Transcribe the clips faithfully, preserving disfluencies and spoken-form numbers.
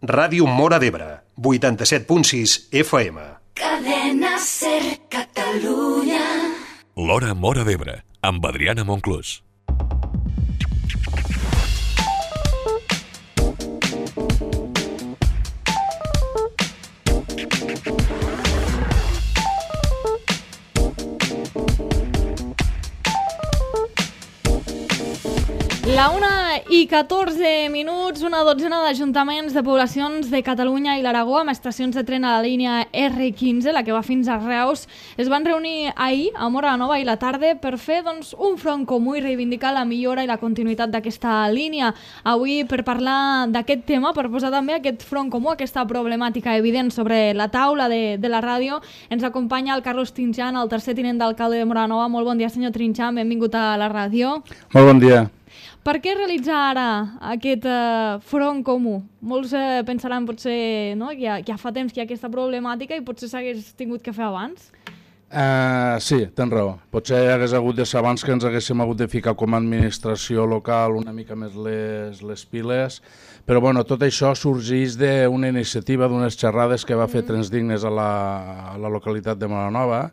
Ràdio Móra d'Ebre, vuitanta-set punt sis F M. Cadena Ser Catalunya. L'Hora Móra d'Ebre, amb Adriana Monclús. La una i catorze minuts, una dotzena d'ajuntaments de poblacions de Catalunya i l'Aragó amb estacions de tren a la línia erre quinze, la que va fins a Reus, es van reunir ahir a Móra la Nova i la tarda per fer doncs, un front comú i reivindicar la millora i la continuïtat d'aquesta línia. Avui, per parlar d'aquest tema, per posar també aquest front comú, aquesta problemàtica evident sobre la taula de, de la ràdio, ens acompanya el Carlos Trinxant, el tercer tinent d'alcalde de Móra la Nova. Molt bon dia, senyor Trinxant, benvingut a la ràdio. Molt bon dia. Per què realitzar ara aquest uh, front comú? Molts uh, pensaran potser no, que ja, ja fa temps que hi ha aquesta problemàtica i potser s'hagués tingut que fer abans? Uh, sí, tens raó. Potser hagués hagut de ser abans que ens haguéssim hagut de ficar com a administració local una mica més les, les piles, però bueno, tot això sorgeix d'una iniciativa, d'unes xerrades que va fer mm. Trens Dignes a la, a la localitat de Móra la Nova,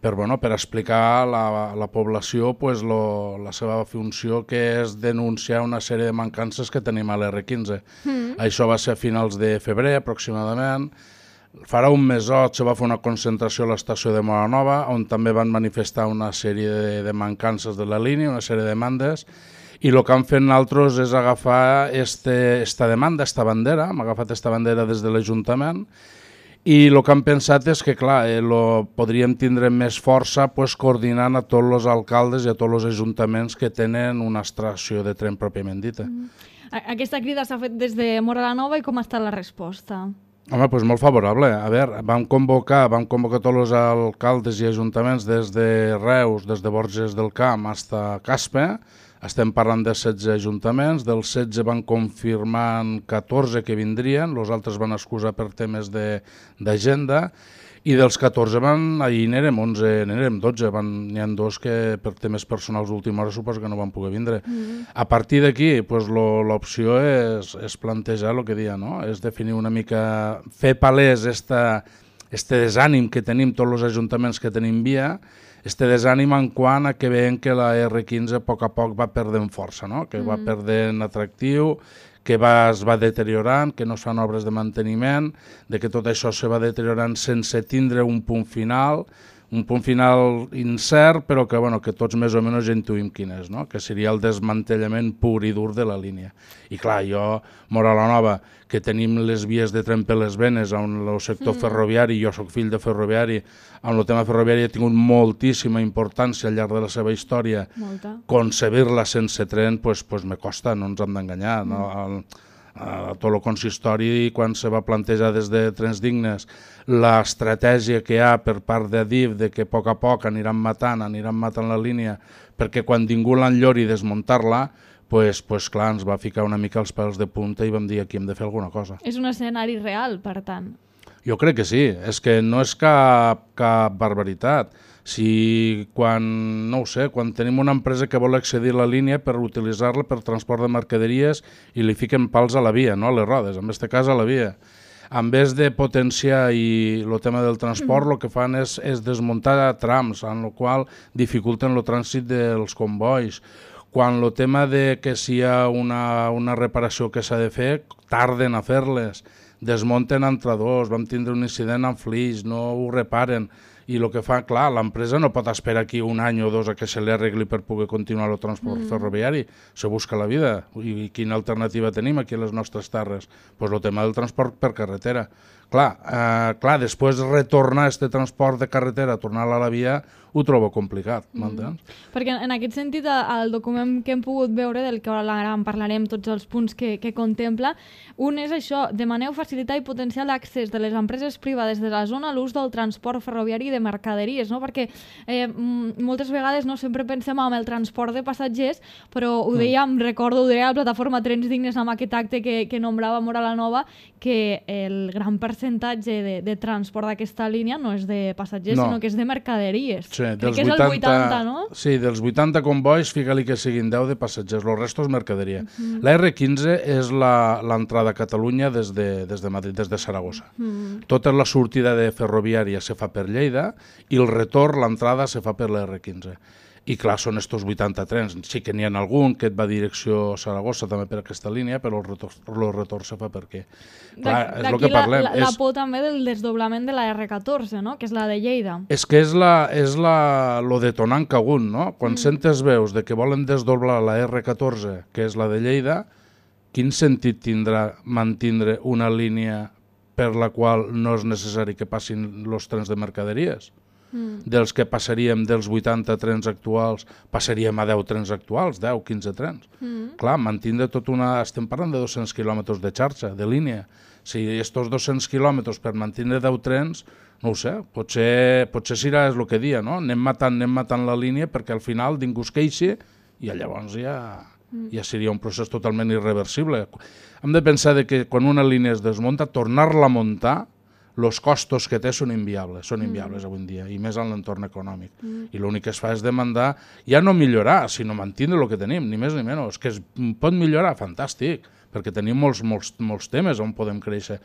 per, bueno, per explicar a la, a la població pues, lo, la seva funció, que és denunciar una sèrie de mancances que tenim a l'erre quinze. Mm. Això va ser a finals de febrer, aproximadament. Farà un mesot se va fer una concentració a l'estació de Móra la Nova, on també van manifestar una sèrie de, de mancances de la línia, una sèrie de demandes, i el que han fet nosaltres és agafar este, esta demanda, esta bandera, hem agafat esta bandera des de l'Ajuntament, i el que han pensat és que, clar, eh, lo podríem tindre més força pues, coordinant a tots els alcaldes i a tots els ajuntaments que tenen una estació de tren pròpiament dita. Mm. Aquesta crida s'ha fet des de Móra la Nova i com ha estat la resposta? Home, doncs molt favorable. A veure, vam convocar, vam convocar tots els alcaldes i ajuntaments des de Reus, des de Borges del Camp fins a Caspe. Estem parlant de setze ajuntaments, dels setze van confirmar catorze que vindrien, els altres van excusar per temes d'agenda, i dels catorze van, ahir n'érem onze, n'érem dotze, n'hi ha dos que per temes personals d'última hora suposo que no van poder vindre. Mm. A partir d'aquí, pues, l'opció és, és plantejar el que deia, no? És definir una mica, fer palès esta, este desànim que tenim tots els ajuntaments que tenim via, este desànim en quant a que veiem que la erre quinze a poc a poc va perdent força, no? Que mm. va perdent atractiu, que va, es va deteriorant, que no es fan obres de manteniment, de que tot això se va deteriorant sense tindre un punt final, un punt final incert, però que, bueno, que tots més o menys ja intuïm quin és, no? Que seria el desmantellament pur i dur de la línia. I clar, jo, Móra la Nova, que tenim les vies de tren per les venes en el sector mm. ferroviari, jo sóc fill de ferroviari, en el tema ferroviari ha tingut moltíssima importància al llarg de la seva història. Molta. Concebir-la sense tren, pues, pues me costa, no ens hem d'enganyar. Mm. No? El, a tot el consistori, quan se va plantejar des de Trens Dignes l'estratègia que hi ha per part de DIF de que a poc a poc aniran matant, aniran matant la línia, perquè quan ningú l'enllori desmuntar-la, pues, pues clar, ens va ficar una mica els pèls de punta i vam dir aquí hem de fer alguna cosa. És un escenari real, per tant. Jo crec que sí, és que no és cap, cap barbaritat. Si quan, no ho sé, quan tenim una empresa que vol accedir a la línia per utilitzar-la per transport de mercaderies i li fiquen pals a la via, no a les rodes, en aquest cas a la via. En vez de potenciar i el tema del transport, el mm. que fan és, és desmuntar trams, en el qual dificulten el trànsit dels convois. Quan el tema de que si hi ha una, una reparació que s'ha de fer, tarden a fer-les, desmunten entradors, vam tindre un incident amb Flix, no ho reparen, i el que fa, clar, l'empresa no pot esperar aquí un any o dos a que se li arregli per poder continuar el transport mm. ferroviari, se busca la vida. I quina alternativa tenim aquí a les nostres terres? Doncs pues el tema del transport per carretera. Clar, eh, clar, després retornar aquest transport de carretera, tornar a la via, ho trobo complicat, m'entens? Mm. Perquè en aquest sentit, el document que hem pogut veure, del que ara en parlarem tots els punts que, que contempla, un és això, demaneu facilitar i potenciar l'accés de les empreses privades de la zona a l'ús del transport ferroviari de mercaderies, no? Perquè eh, moltes vegades no sempre pensem en el transport de passatgers, però ho dèiem, mm. recordo, ho deia la plataforma Trens Dignes amb aquest acte que, que nombrava Mora la Nova, que el gran percentatge de, de transport d'aquesta línia no és de passatgers, no. sinó que és de mercaderies. Sí, Crec que és el vuitanta, no? Sí, dels vuitanta convois, fica-li que siguin deu de passatgers, el resto és mercaderia. Mm. La erre quinze és l'entrada a Catalunya des de, des de Madrid, des de Saragossa. Mm. Tota la sortida de ferroviària se fa per Lleida i el retorn, l'entrada, se fa per la erre quinze. I clar, són estos vuitanta trens. Sí que n'hi ha algun que et va direcció a Saragossa també per aquesta línia, però el retorn, el retorn se fa per què? Clar, és el que parlem. La, la, la por també del desdoblament de la erre catorze, no? Que és la de Lleida. És que és, la, és la, lo detonant que hagut, no? Quan mm. sentes veus de que volen desdoblar la erre catorze, que és la de Lleida, quin sentit tindrà mantindre una línia per la qual no és necessari que passin els trens de mercaderies? Mm. Dels que passaríem dels vuitanta trens actuals, passaríem a deu trens actuals, deu, quinze trens. Mm. Clar, mantindre tot una... Estem parlant de dos-cents quilòmetres de xarxa, de línia. Si estos dos-cents quilòmetres per mantindre deu trens, no ho sé, potser, potser serà el que dia, no? Anem matant, anem matant la línia perquè al final ningú es queixi i llavors ja, mm. ja seria un procés totalment irreversible. Hem de pensar de que quan una línia es desmunta, tornar-la a muntar, els costos que té són inviables, són inviables mm. avui en dia, i més en l'entorn econòmic. Mm. I l'únic que es fa és demandar, ja no millorar, sinó mantindre el que tenim, ni més ni menys. Que es pot millorar, fantàstic, perquè tenim molts, molts, molts temes on podem créixer.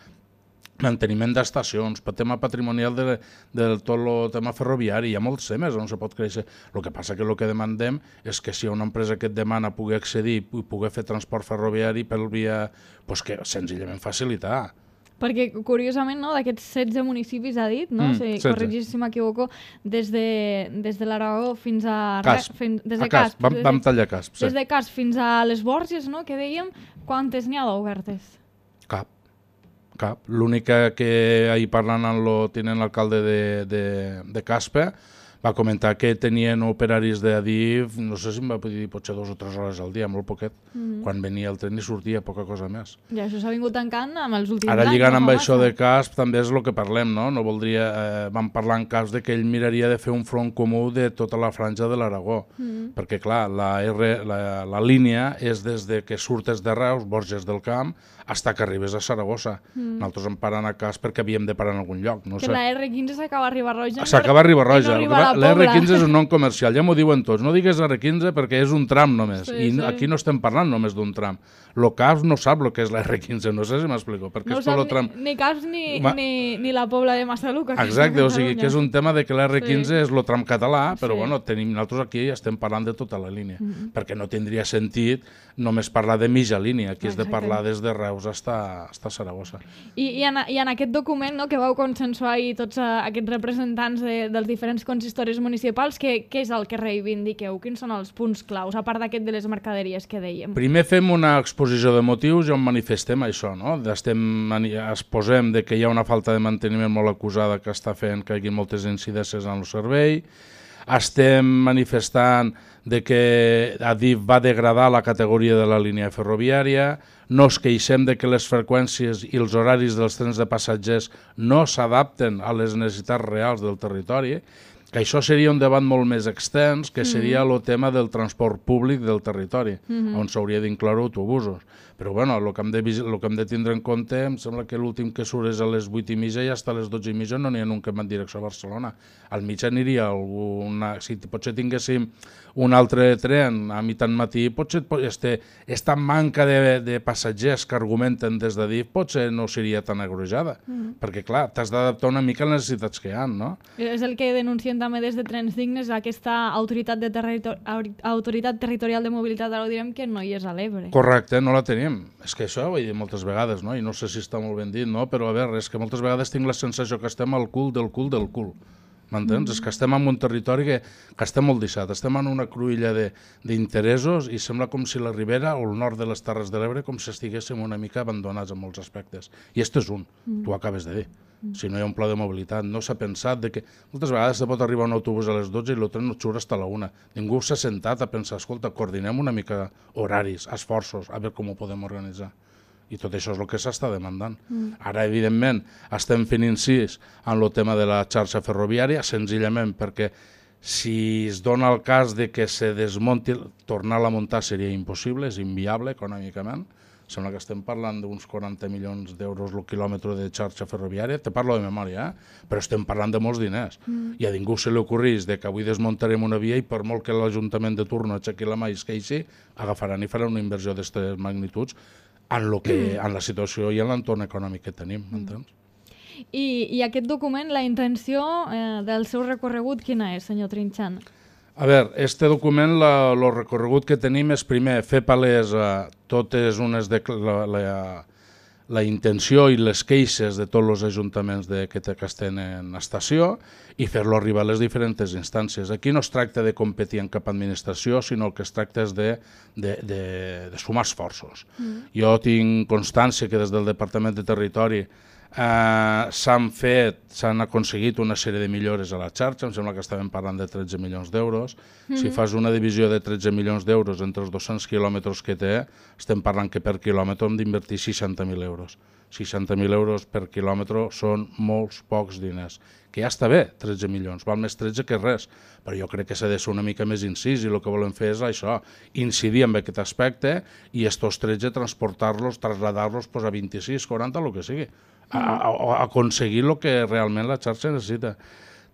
Manteniment d'estacions, tema patrimonial de, de tot el tema ferroviari, hi ha molts temes on se pot créixer. El que passa que el que demandem és que si hi ha una empresa que et demana poder accedir i poder fer transport ferroviari per via, doncs que senzillament facilitar. Perquè, curiosament, no, d'aquests setze municipis ha dit, no? Mm, si corregis si m'equivoco, des de, des de l'Aragó fins a... Casp. Fins, des de a Casp. Casp. Vam, vam tallar Casp, sí. Des de Casp fins a les Borges, no?, que dèiem, quantes n'hi ha d'obertes? Cap. Cap. L'única que ahir parlant amb el tinent alcalde de, de, de Caspe va comentar que tenien operaris d'Adif, no sé si em va dir potser dos o tres hores al dia, molt poquet, mm. quan venia el tren i sortia, poca cosa més. I això s'ha vingut tancant amb els últims Ara, anys. Ara lligant no amb massa. això de Casp també és el que parlem, no? No voldria, eh, vam parlar en Casp de que ell miraria de fer un front comú de tota la franja de l'Aragó, mm. perquè clar, la, R, la, la línia és des de que surtes de Reus, Borges del Camp, fins que arribes a Saragossa. Mm. Nosaltres em parant a Casp perquè havíem de parar en algun lloc. No que sé. la erre quinze s'acaba a Ribarroja. S'acaba a Ribarroja. No la la erre quinze és un nom comercial, ja m'ho diuen tots. No digues erre quinze perquè és un tram només. Sí, I sí. aquí no estem parlant només d'un tram. Lo Casp no sap el que és la erre quinze, no sé si m'explico. Perquè no és tot sap lo tram... ni, ni Casp ni, Ma... ni, ni la Pobla de Massaluca. Exacte, o sigui que és un tema de que la erre quinze sí. és lo tram català, però sí. bueno, tenim, nosaltres aquí estem parlant de tota la línia, mm -hmm. perquè no tindria sentit només parlar de mitja línia, aquí és de parlar des de Reus hasta, hasta Saragossa. I, i, en, I en aquest document, no, que vau consensuar ahir tots uh, aquests representants de, dels diferents consistoris municipals, què, què és el que reivindiqueu? Quins són els punts claus, a part d'aquest de les mercaderies que dèiem? Primer fem una exposició de motius i on manifestem això, no? Estem, exposem de que hi ha una falta de manteniment molt acusada que està fent que hi hagi moltes incidències en el servei. Estem manifestant de que Adif va degradar la categoria de la línia ferroviària, no es queixem de que les freqüències i els horaris dels trens de passatgers no s'adapten a les necessitats reals del territori, que això seria un debat molt més extens, que seria el tema del transport públic del territori, mm-hmm. on s'hauria d'incloure autobusos. Però bueno, el que, hem de, el que hem de tindre en compte, em sembla que l'últim que surt és a les vuit i mitja i fins a les dotze i mitja no n'hi ha un que va en direcció a Barcelona. Al mig aniria alguna... Si potser tinguéssim un altre tren a mitjan matí, potser este, esta manca de, de passatgers que argumenten des d'Adif potser no seria tan agrojada, mm. perquè clar, t'has d'adaptar una mica a les necessitats que hi ha, no? És el que denuncien també des de Trens Dignes, aquesta autoritat, de territori autoritat territorial de mobilitat, ara ho direm, que no hi és a l'Ebre. Correcte, no la tenim. És que això ho he dit moltes vegades, no? I no sé si està molt ben dit, no? Però a veure, és que moltes vegades tinc la sensació que estem al cul del cul del cul. M'entens? Mm. És que estem en un territori que, que està molt deixat. Estem en una cruïlla d'interessos i sembla com si la Ribera o el nord de les Terres de l'Ebre com si estiguéssim una mica abandonats en molts aspectes. I aquest és un, mm. tu ho acabes de dir. Mm. Si no hi ha un pla de mobilitat, no s'ha pensat de que moltes vegades se pot arribar un autobús a les dotze i el tren no surt fins a la una. Ningú s'ha sentat a pensar, escolta, coordinem una mica horaris, esforços, a veure com ho podem organitzar. I tot això és el que s'està demandant. Mm. Ara, evidentment, estem fent incís en el tema de la xarxa ferroviària, senzillament perquè si es dona el cas de que se desmonti, tornar-la a muntar seria impossible, és inviable econòmicament. Sembla que estem parlant d'uns quaranta milions d'euros el quilòmetre de xarxa ferroviària, te parlo de memòria, eh? Però estem parlant de molts diners. Mm. I a ningú se li ocorrís de que avui desmuntarem una via i per molt que l'Ajuntament de turno aixequi la mà i es queixi, agafaran i faran una inversió d'aquestes magnituds en, lo que, en la situació i en l'entorn econòmic que tenim, m'entens? I, I aquest document, la intenció eh, del seu recorregut, quina és, senyor Trinxant? A veure, este document, el recorregut que tenim és primer fer palès a totes unes de la, la, la intenció i les queixes de tots els ajuntaments de, que, que estan en estació i fer-lo arribar a les diferents instàncies. Aquí no es tracta de competir en cap administració, sinó que es tracta és de, de, de, de sumar esforços. Mm. Jo tinc constància que des del Departament de Territori Uh, s'han fet, s'han aconseguit una sèrie de millores a la xarxa, em sembla que estàvem parlant de tretze milions d'euros. Mm-hmm. Si fas una divisió de tretze milions d'euros entre els dos-cents quilòmetres que té, estem parlant que per quilòmetre hem d'invertir seixanta mil euros. seixanta mil euros per quilòmetre són molts pocs diners, que ja està bé, tretze milions, val més tretze que res, però jo crec que s'ha de ser una mica més incís i el que volem fer és això, incidir en aquest aspecte i estos tretze transportar-los, traslladar-los pues, a vint-i-sis, quaranta, el que sigui. A, a, a aconseguir el que realment la xarxa necessita.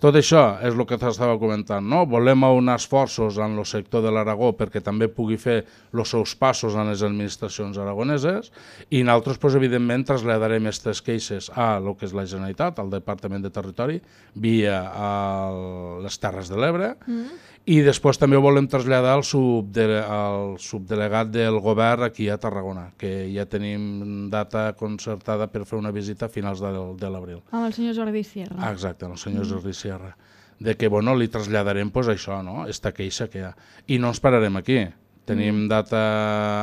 Tot això és el que t'estava comentant, no? Volem aunar esforços en el sector de l'Aragó perquè també pugui fer els seus passos en les administracions aragoneses i nosaltres, pues, evidentment, traslladarem aquestes queixes a el que és la Generalitat, al Departament de Territori, via a les Terres de l'Ebre, mm. i després també ho volem traslladar al, subdele, al subdelegat del govern aquí a Tarragona, que ja tenim data concertada per fer una visita a finals de, de l'abril. Amb el senyor Jordi Sierra. Ah, exacte, el senyor mm. Jordi Sierra. De que, bueno, li traslladarem pues, això, no? Esta queixa que hi ha. I no ens pararem aquí. Tenim mm. data,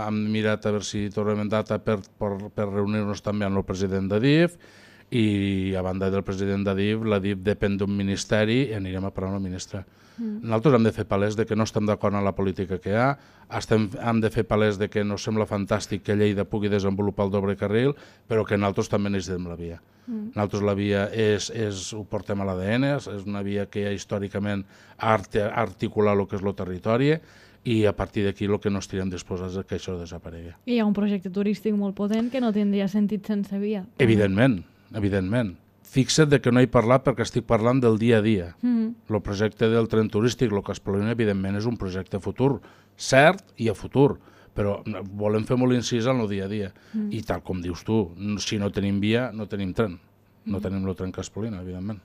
hem mirat a veure si tornem data per, per, per reunir-nos també amb el president de D I F, i a banda del president de D I F, la D I F depèn d'un ministeri i anirem a parlar amb el ministre. Mm. Nosaltres hem de fer palès de que no estem d'acord amb la política que hi ha, estem, hem de fer palès de que no sembla fantàstic que Lleida pugui desenvolupar el doble carril, però que nosaltres també necessitem la via. Mm. Nosaltres la via és, és, ho portem a l'A D N, és una via que ja històricament ha articulat el que és el territori, i a partir d'aquí el que no estirem disposats és que això desaparegui. I hi ha un projecte turístic molt potent que no tindria sentit sense via. Evidentment, evidentment. Fixa't de que no he parlat perquè estic parlant del dia a dia. Mm-hmm. El projecte del tren turístic, el que es planteja, evidentment, és un projecte futur, cert i a futur, però volem fer molt incís en el dia a dia. Mm. I tal com dius tu, si no tenim via, no tenim tren. No tenim el tren que Espolina, evidentment.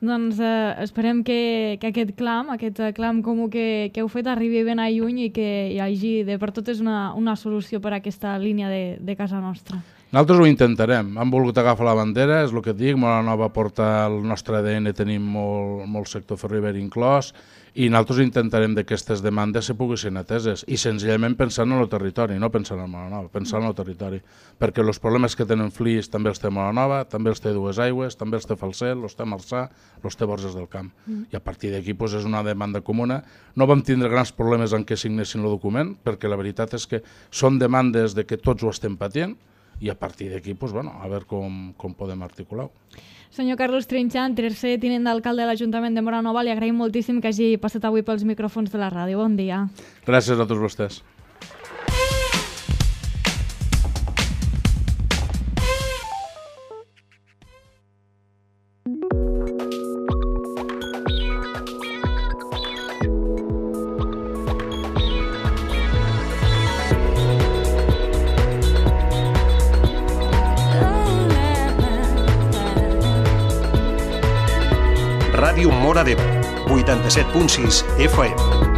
Doncs eh, esperem que, que aquest clam, aquest clam comú que, que heu fet arribi ben a lluny i que hi hagi de per totes una, una solució per a aquesta línia de, de casa nostra. Nosaltres ho intentarem. Hem volgut agafar la bandera, és el que et dic, Móra Nova porta el nostre A D N, tenim molt, molt sector ferroviari inclòs, i nosaltres intentarem que aquestes demandes se puguin ateses, i senzillament pensant en el territori, no pensant en Móra Nova, pensant en el territori, perquè els problemes que tenen Flix també els té Móra Nova, també els té Dues Aigües, també els té Falset, els té Marçà, els té Borges del Camp. Mm. I a partir d'aquí pues, és una demanda comuna. No vam tindre grans problemes en què signessin el document, perquè la veritat és que són demandes de que tots ho estem patint, i a partir d'aquí, pues, bueno, a veure com, com podem articular-ho. Senyor Carlos Trinxant, tercer tinent d'alcalde de l'Ajuntament de Móra Nova, li agraïm moltíssim que hagi passat avui pels micròfons de la ràdio. Bon dia. Gràcies a tots vostès. Ràdio Móra d'Ebre, vuitanta-set punt sis F M.